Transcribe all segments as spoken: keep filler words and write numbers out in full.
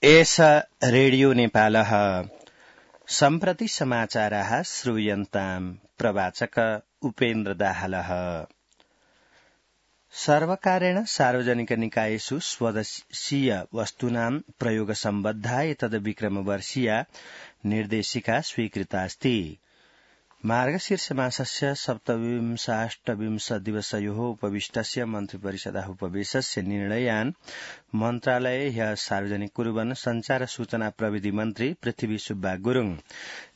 एष रेडियो नेपालः सम्प्रति समाचाराः श्रूयन्ताम् प्रवाचक उपेन्द्र दाहालः। सर्वकारेण सार्वजनिक निकायेषु स्वदेशीय वस्तूनां प्रयोग सम्बद्धा एतद् विक्रमवर्षीया निर्देशिका स्वीकृतास्ति। मार्गशीर्षमासस्य सप्तविंशाष्टविंश दिवसयोः उपविष्टस्य मन्त्रिपरिषदः उपवेशस्य निर्णयान् मन्त्रालये ह्यः सार्वजनिक कुर्वन् संचार सूचना प्रविधि मन्त्री पृथ्वी सुब्बा गुरुङ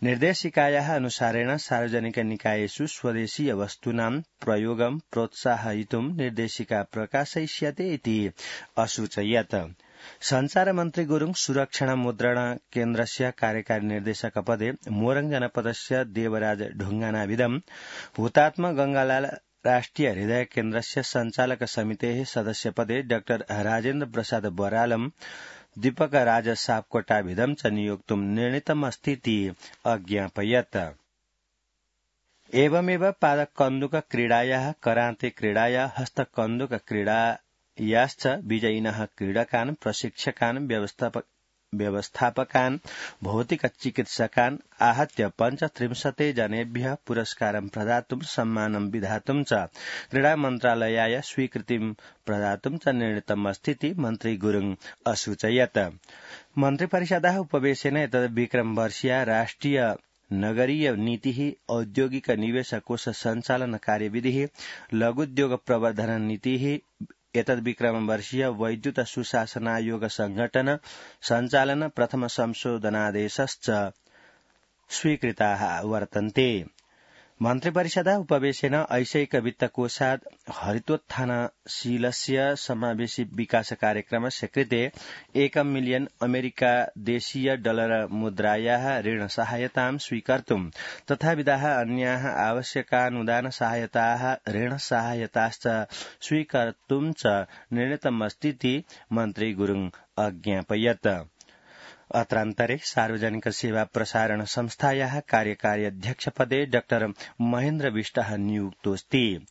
निर्देशिकायाः अनुसारेण सार्वजनिक निकायेषु स्वदेशीय वस्तूनां प्रयोगं प्रोत्साहयितुं निर्देशिका प्रकाशयिष्यते इति असूचयत्। संचार मन्त्री गुरुङ सुरक्षण मुद्रण केन्द्रस्य कार्यकारी निर्देशक पदे मोरङ जनपदस्य देवराज ढुङ्गानाविदं हुतात्मा गंगालाल राष्ट्रिय हृदय केन्द्रस्य संचालक समितेः सदस्य पदे डाक्टर राजेन्द्र प्रसाद बरालम दीपक राज सापकोटाभिदं च नियोक्तुं निर्णीतमस्तीति अज्ञापयत्। एवमेव पादक कन्दुक क्रीडायाः कराते क्रीडाया हस्तकन्दुक क्रीडा याश्च विजयिनः क्रीडकान् प्रशिक्षकान् व्यवस्थापकान् भौतिक चिकित्सकान् आहत्य पञ्चत्रिंशते जनेभ्यः पुरस्कारं प्रदातुं सम्मानं विधातुं च क्रीडा मन्त्रालयाय स्वीकृतिं प्रदातुं च निर्णीतमस्तीति मन्त्री गुरुङ असूचयत्। मन्त्रिपरिषदः उपवेशेन एतद् विक्रमवर्षीया राष्ट्रिय नगरीय नीतिः औद्योगिक निवेश कोष सञ्चालन कार्यविधिः लघुद्योग प्रवर्धन नीतिः एतद् विक्रमवर्षीय वैद्युत सुशासनायोग संघटन सञ्चालन प्रथम संशोधनादेशश्च स्वीकृताः वर्तन्ते। मन्त्रिपरिषदः उपवेशेन ऐशैक वित्तकोषात् हरितोत्थानशीलस्य समावेशी विकास कार्यक्रमस्य कृते एकं मिलियन अमेरिका देशीय डलर मुद्रायाः ऋण सहायतां स्वीकर्तुं तथाविधाः अन्याः आवश्यकानुदान सहायताः ऋण सहायताश्च स्वीकर्तुं च निर्णीतमस्तीति मन्त्री गुरुङ अज्ञापयत्। अत्रान्तरे सार्वजनिक सेवा प्रसारण संस्थायाः कार्यकारी अध्यक्ष पदे डाक्टर महेन्द्र विष्टः नियुक्तोऽस्ति।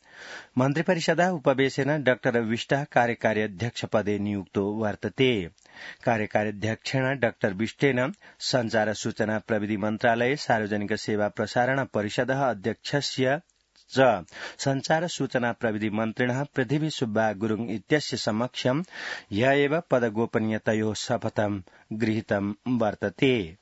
मन्त्रिपरिषदः उपवेशेन डाक्टर विष्टः कार्यकारी अध्यक्ष पदे नियुक्तो वर्तते। कार्यकारी अध्यक्षेण डाक्टर विष्टेन संचार सूचना प्रविधि मन्त्रालये सार्वजनिक सेवा प्रसारण परिषदः अध्यक्षस्य च संचार सूचना प्रविधि मन्त्रिणः पृथ्वी सुब्बा गुरुङ इत्यस्य समक्षं ह्यः एव पदगोपनीयतयोः शपथं गृहीतं वर्तते।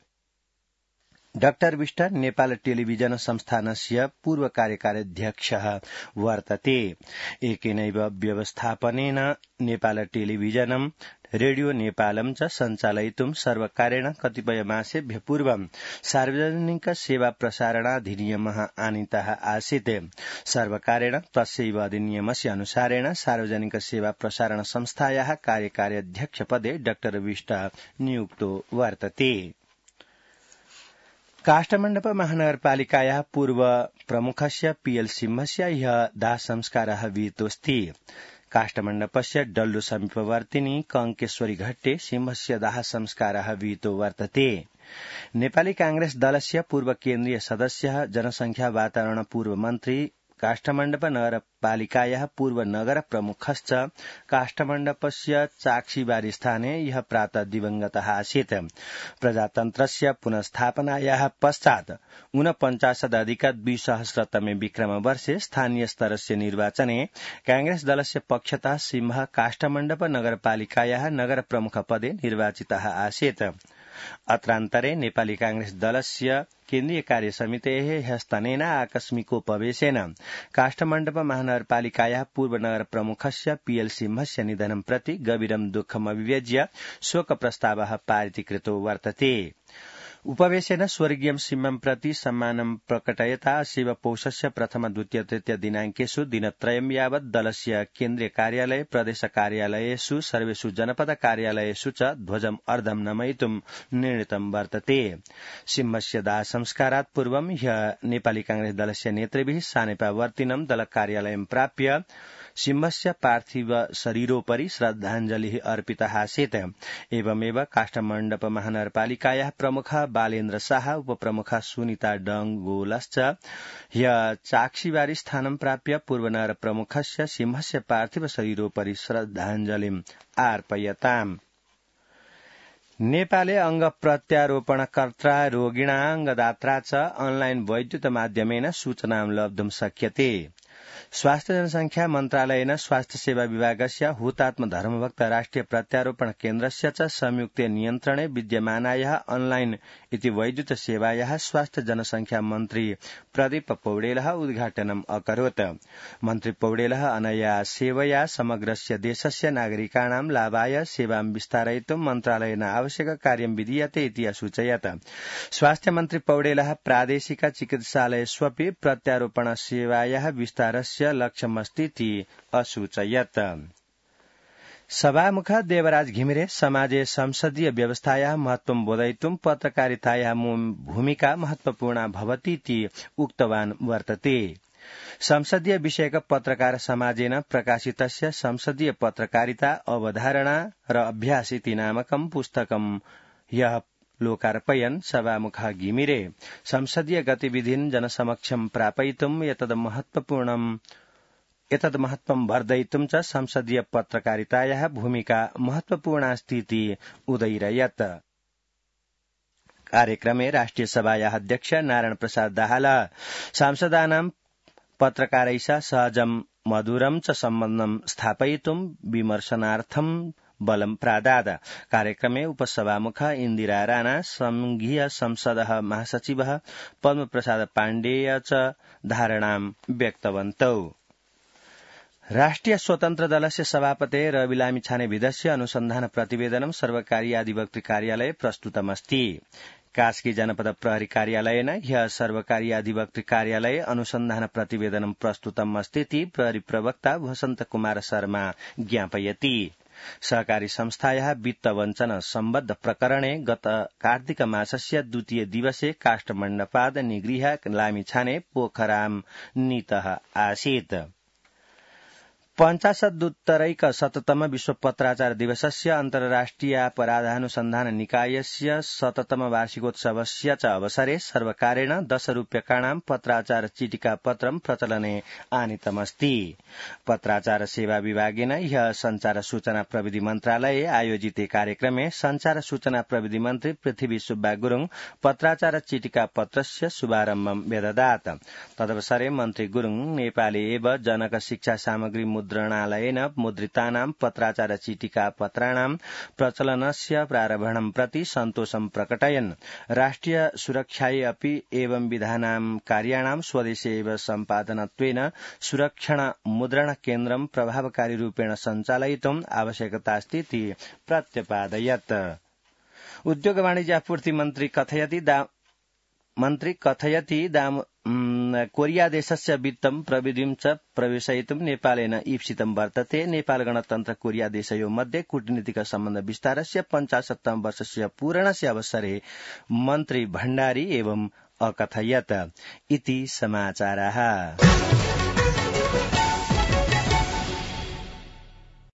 डाक्टर विष्ट नेपाल टेलिभिजन संस्थानस्य पूर्व कार्यकारी अध्यक्षः वर्तते। एकेनैव व्यवस्थापनेन नेपाल टेलिभिजनं रेडियो नेपालं च सञ्चालयितुं सर्वकारेण कतिपय मासेभ्य पूर्वं सार्वजनिक सेवा प्रसारणाधिनियमः आनीतः आसीत्। सर्वकारेण तस्यैव अधिनियमस्य अनुसारेण सार्वजनिक सेवा प्रसारण संस्थायाः कार्यकारी अध्यक्ष पदे डाक्टर विष्ट नियुक्तो वर्तते। काष्ठमण्डप महानगरपालिकायाः पूर्व प्रमुखस्य पीएल सिंहस्य ह्यः दाहसंस्कारः विहितोऽस्ति। काष्ठमण्डपस्य डल्लु समीपवर्तिनी कङ्केश्वरी घट्टे सिंहस्य दाह संस्कारः विहितो वर्तते। नेपाली कांग्रेस दलस्य पूर्व केन्द्रीय सदस्यः जनसंख्या वातावरण पूर्व मन्त्री काष्ठमण्डप नगरपालिकायाः पूर्व नगर प्रमुखश्च काष्ठमण्डपस्य चाक्षीबारी स्थाने ह्यः प्रातः दिवंगतः आसीत्। प्रजातन्त्रस्य पुनस्थापनायाः पश्चात् ऊनपञ्चाशदधिक द्विसहस्रतमे विक्रमवर्षे स्थानीय स्तरस्य निर्वाचने कांग्रेस दलस्य पक्षतः सिंह काष्ठमण्डप नगरपालिकायाः नगर प्रमुख पदे निर्वाचितः आसीत्। अत्रान्तरे नेपाली कांग्रेस दलस्य केन्द्रीय कार्य समितेः ह्यस्तनेन आकस्मिकोपवेशेन काष्ठमण्डप महानगरपालिकायाः पूर्व नगर प्रमुखस्य पीएल सिंहस्य निधनं प्रति गभीरं दुःखम् अभिव्यज्य शोक प्रस्तावः पारितीकृतो वर्तते। उपवेशेन स्वर्गीयं सिंहं प्रति सम्मानं प्रकटयता अस्य पौषस्य प्रथम द्वितीय तृतीय दिनाङ्केषु दिनत्रयं यावत् दलस्य केन्द्रीय कार्यालय प्रदेश कार्यालयेषु सर्वेषु जनपद कार्यालयेषु च ध्वजम् अर्धं नमयितुं निर्णीतं वर्तते। सिंहस्य दाह संस्कारात् पूर्वं ह्यः नेपाली कांग्रेस दलस्य नेतृभिः सानेपावर्तिनं दल कार्यालयं प्राप्य सिंहस्य पार्थिव शरीरोपरि श्रद्धाञ्जलिः अर्पितः आसीत्। एवमेव काष्ठमण्डप महानगरपालिकायाः प्रमुखः बालेन्द्र शाह उपप्रमुखः सुनीता डंगोलश्च ह्यः चाक्षीबारी स्थानं प्राप्य पूर्वनगर प्रमुखस्य सिंहस्य पार्थिव शरीरोपरि श्रद्धाञ्जलिम् अर्पयताम्। नेपाले अंग प्रत्यारोपणकर्ता रोगिणा अंगदात्रा च ऑनलाइन वैद्युत माध्यमेन सूचनां लब्धुं शक्यते। स्वास्थ्य जनसंख्या मन्त्रालयेन स्वास्थ्य सेवा विभागस्य हुतात्म धर्मभक्त राष्ट्रिय प्रत्यारोपण केन्द्रस्य च संयुक्त नियन्त्रणे विद्यमानायाः ऑनलाइन इति वैद्युत सेवायाः स्वास्थ्य जनसंख्या मन्त्री प्रदीप पौडेलः उद्घाटनम् अकरोत्। मन्त्री पौडेलः अनया सेवया समग्रस्य देशस्य नागरिकाणां लाभाय सेवां विस्तारयितुं मन्त्रालयेन आवश्यक कार्यं विधीयते इति असूचयत्। स्वास्थ्य मन्त्री पौडेलः प्रादेशिक चिकित्सालयेष्वपि प्रत्यारोपण सेवायाः विस्तारस्य लक्ष्यमस्तीति असूचयत्। सभामुख देवराज घिमिरे समाजे संसदीय व्यवस्थायाः महत्वं बोधयितुं पत्रकारितायाः भूमिका महत्वपूर्णा भवतीति उक्तवान् वर्तते। संसदीय विषयक पत्रकार समाजेन प्रकाशितस्य संसदीय पत्रकारिता अवधारणा र अभ्यास इति नामकं पुस्तकं ह्यः लोकार्पयन् सभामुख घिमिरे संसदीय गतिविधीन् जनसमक्षं प्रापयितुं एतद् महत्वपूर्णम् एतद् महत्वं वर्धयितुं च संसदीय पत्रकारितायाः भूमिका महत्वपूर्णास्तीति उदयिरयत्। कार्यक्रमे राष्ट्रिय सभायाः अध्यक्ष नारायण प्रसाद दाहालः सांसदानां पत्रकारैः सहजं मधुरं च सम्बन्धं स्थापयितुं विमर्शनार्थं बलं प्रादाद। कार्यक्रमे उपसभामुख इन्दिरा राणा, संघीय संसदः महासचिवः पद्म प्रसाद पाण्डेय च धारणां व्यक्तवन्तौ। राष्ट्रिय स्वतन्त्र दलस्य सभापते रवि लामिछानेविधस्य अनुसन्धान प्रतिवेदनं सर्वकारीय अधिवक्तृ कार्यालये प्रस्तुतमस्ति। कास्की जनपद प्रहरी कार्यालयेन ह्यः सर्वकारीय अधिवक्तृ कार्यालये अनुसन्धान प्रतिवेदनं प्रस्तुतम् अस्तीति प्रहरी प्रवक्ता वसन्त कुमार शर्मा ज्ञापयति। सहकारी संस्थायाः वित्त वञ्चन सम्बद्ध प्रकरणे गत कार्तिक मासस्य द्वितीय दिवसे काष्ठमण्डपाद निगृह्य लामिछाने पोखराम नीतः आसीत्। पञ्चाशदुत्तरैक शततम विश्व पत्राचार दिवसस्य अन्तर्राष्ट्रियापराधानुसन्धान निकायस्य शततम वार्षिकोत्सवस्य च अवसरे सर्वकारेण दश रूप्यकाणां पत्राचार चीटिका पत्रं प्रचलने आनीतमस्ति। पत्राचार सेवा विभागेन ह्यः संचार सूचना प्रविधि मन्त्रालये आयोजिते कार्यक्रमे संचार सूचना प्रविधि मन्त्री पृथ्वी सुब्बा गुरुङ पत्राचार चीटिका पत्रस्य शुभारम्भं व्यददात्। तदवसरे मन्त्री गुरुङ नेपाले एव जनक शिक्षा सामग्री मुद्रणालयेन मुद्रितानां पत्राचार चीटिका पत्राणां प्रचलनस्य प्रारम्भं प्रति सन्तोषं प्रकटयन् राष्ट्रिय सुरक्षायै अपि एवं विधानां कार्याणां स्वदेशे एव सम्पादनत्वेन सुरक्षण मुद्रण केन्द्रं प्रभावकारी रूपेण सञ्चालयितुम् आवश्यकतास्तीति प्रत्यपादयत्। उद्योग वाणिज्य आपूर्ति मन्त्री कथयति मन्त्री कथयति दाम कोरिया देशस्य वित्तं प्रविधिं च प्रवेशयितुं नेपालेन ईप्सितं वर्तते। नेपाल गणतन्त्र कोरिया देशयोः मध्ये कूटनीतिक सम्बन्ध विस्तारस्य पञ्चाशत्तम वर्षस्य पूरणस्य अवसरे मन्त्री भण्डारी एवं अकथयत् इति समाचाराः।